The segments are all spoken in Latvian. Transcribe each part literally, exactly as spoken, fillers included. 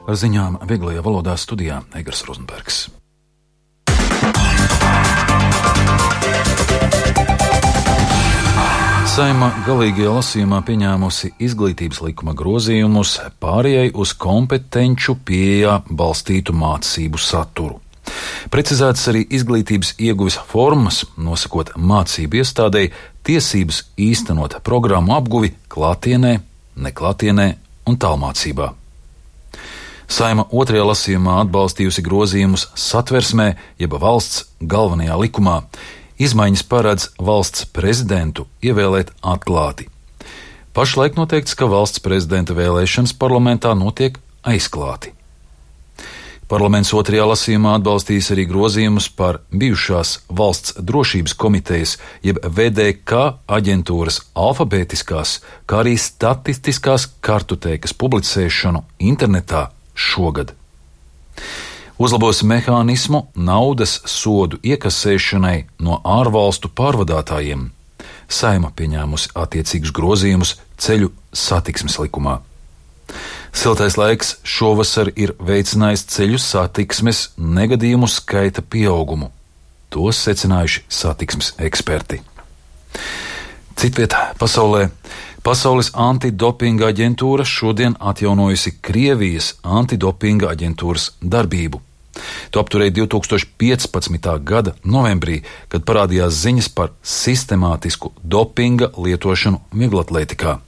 Ar ziņām vieglajā valodā studijā Egars Rozenbergs. Saeima galīgajā lasījumā pieņēmusi izglītības likuma grozījumus pārējai uz kompetenču pieejā balstītu mācību saturu. Precizētas arī izglītības ieguves formas, nosakot mācību iestādei tiesības īstenot programmu apguvi klātienē, neklātienē un tālmācībā. Saeima otrajā lasījumā atbalstījusi grozījumus satversmē, jeb valsts galvenajā likumā. Izmaiņas paredz valsts prezidentu ievēlēt atklāti. Pašlaik noteikts, ka valsts prezidenta vēlēšanas parlamentā notiek aizklāti. Parlaments otrajā lasījumā atbalstīs arī grozījumus par bijušās valsts drošības komitejas, jeb V D K aģentūras alfabētiskās, kā arī statistiskās kartotēkas publicēšanu internetā šogad. Uzlabos mehānismu naudas sodu iekasēšanai no ārvalstu pārvadātājiem. Saeima pieņēmusi attiecīgus grozījumus ceļu satiksmes likumā. Siltais laiks šovasar ir veicinājis ceļu satiksmes negadījumu skaita pieaugumu. To secinājuši satiksmes eksperti. Citvietā pasaulē Pasaules antidopinga aģentūra šodien atjaunojusi Krievijas antidopinga aģentūras darbību. To apturēja divi tūkstoši piecpadsmitā gada novembrī, kad parādījās ziņas par sistemātisku dopinga lietošanu vieglatlētikā.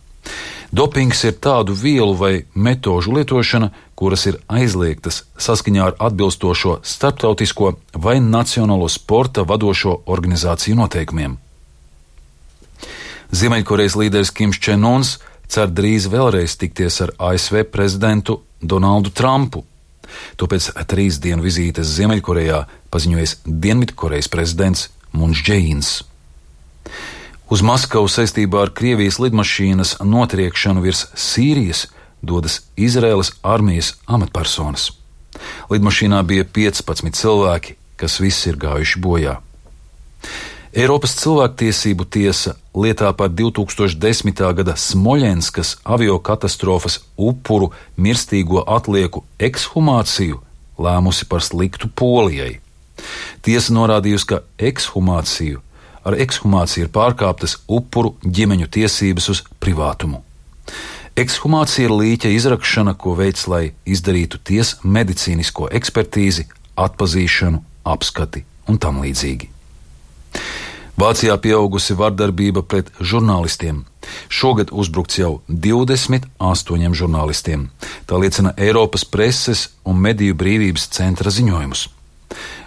Dopings ir tādu vielu vai metožu lietošana, kuras ir aizliegtas saskaņā ar atbilstošo starptautisko vai nacionālo sporta vadošo organizāciju noteikumiem. Ziemeļkorejas līderis Kims Čen Uns cer drīz vēlreiz tikties ar A S V prezidentu Donaldu Trumpu. To pēc trīs dienu vizītes Ziemeļkorejā paziņojis Dienvidkorejas prezidents Mūns Džeīns. Uz Maskavu saistībā ar Krievijas lidmašīnas notriekšanu virs Sīrijas dodas Izraēlas armijas amatpersonas. Lidmašīnā bija piecpadsmit cilvēki, kas visi ir gājuši bojā. Eiropas cilvēktiesību tiesa lietā par divi tūkstoši desmitā gada Smoļenskas aviokatastrofas upuru mirstīgo atlieku ekshumāciju lēmusi par sliktu Polijai. Tiesa norādījusi, ka ekshumāciju ar ekshumāciju ir pārkāptas upuru ģimeņu tiesības uz privātumu. Ekshumācija ir līķa izrakšana, ko veids, lai izdarītu tiesa medicīnisko ekspertīzi, atpazīšanu, apskati un tam līdzīgi. Vācijā pieaugusi vardarbība pret žurnālistiem. Šogad uzbrukts jau divdesmit astoņiem žurnālistiem. Tā liecina Eiropas preses un mediju brīvības centra ziņojumus.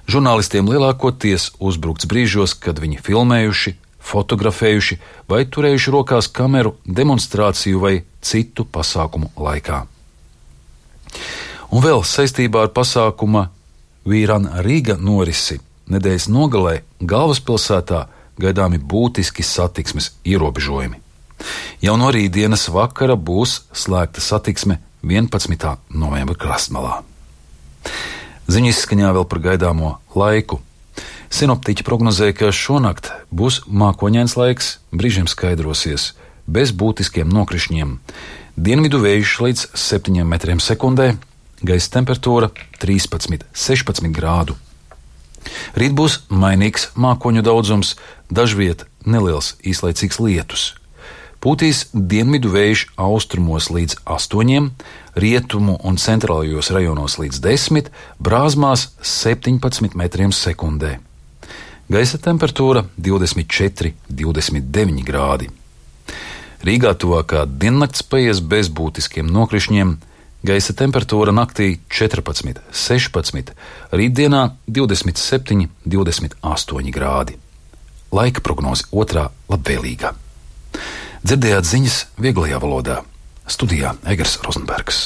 Žurnālistiem lielākoties uzbrukts brīžos, kad viņi filmējuši, fotografējuši vai turējuši rokās kameru demonstrāciju vai citu pasākumu laikā. Un vēl saistībā ar pasākuma Vīran Rīga norisi nedēļas nogalē galvaspilsētā gaidāmi būtiski satiksmes ierobežojumi. Jau no rītdienas vakara būs slēgta satiksme vienpadsmitā novembra krastmalā. Ziņu izskaņā vēl par gaidāmo laiku. Sinoptiķi prognozē, ka šonakt būs mākoņains laiks, brīžiem skaidrosies, bez būtiskiem nokrišņiem. Dienvidu vējš līdz septiņiem metriem sekundē, gaisa temperatūra trīspadsmit līdz sešpadsmit grādu. Rīt būs mainīgs mākoņu daudzums, dažviet neliels īslaicīgs lietus. Pūtīs dienvidu vējš austrumos līdz astoņiem, rietumu un centrālajos rajonos līdz desmit, Brāzmās septiņpadsmit metriem sekundē. Gaisa temperatūra divdesmit četri līdz divdesmit deviņi grādi. Rīgā tuvākā diennakts paies bez būtiskiem nokrišņiem, gaisa temperatūra naktī četrpadsmit līdz sešpadsmit, rītdienā divdesmit septiņi līdz divdesmit astoņi grādi. Laika prognoze otrā labvēlīgā. Dzirdējāt ziņas vieglajā valodā. Studijā Egars Rozenbergs.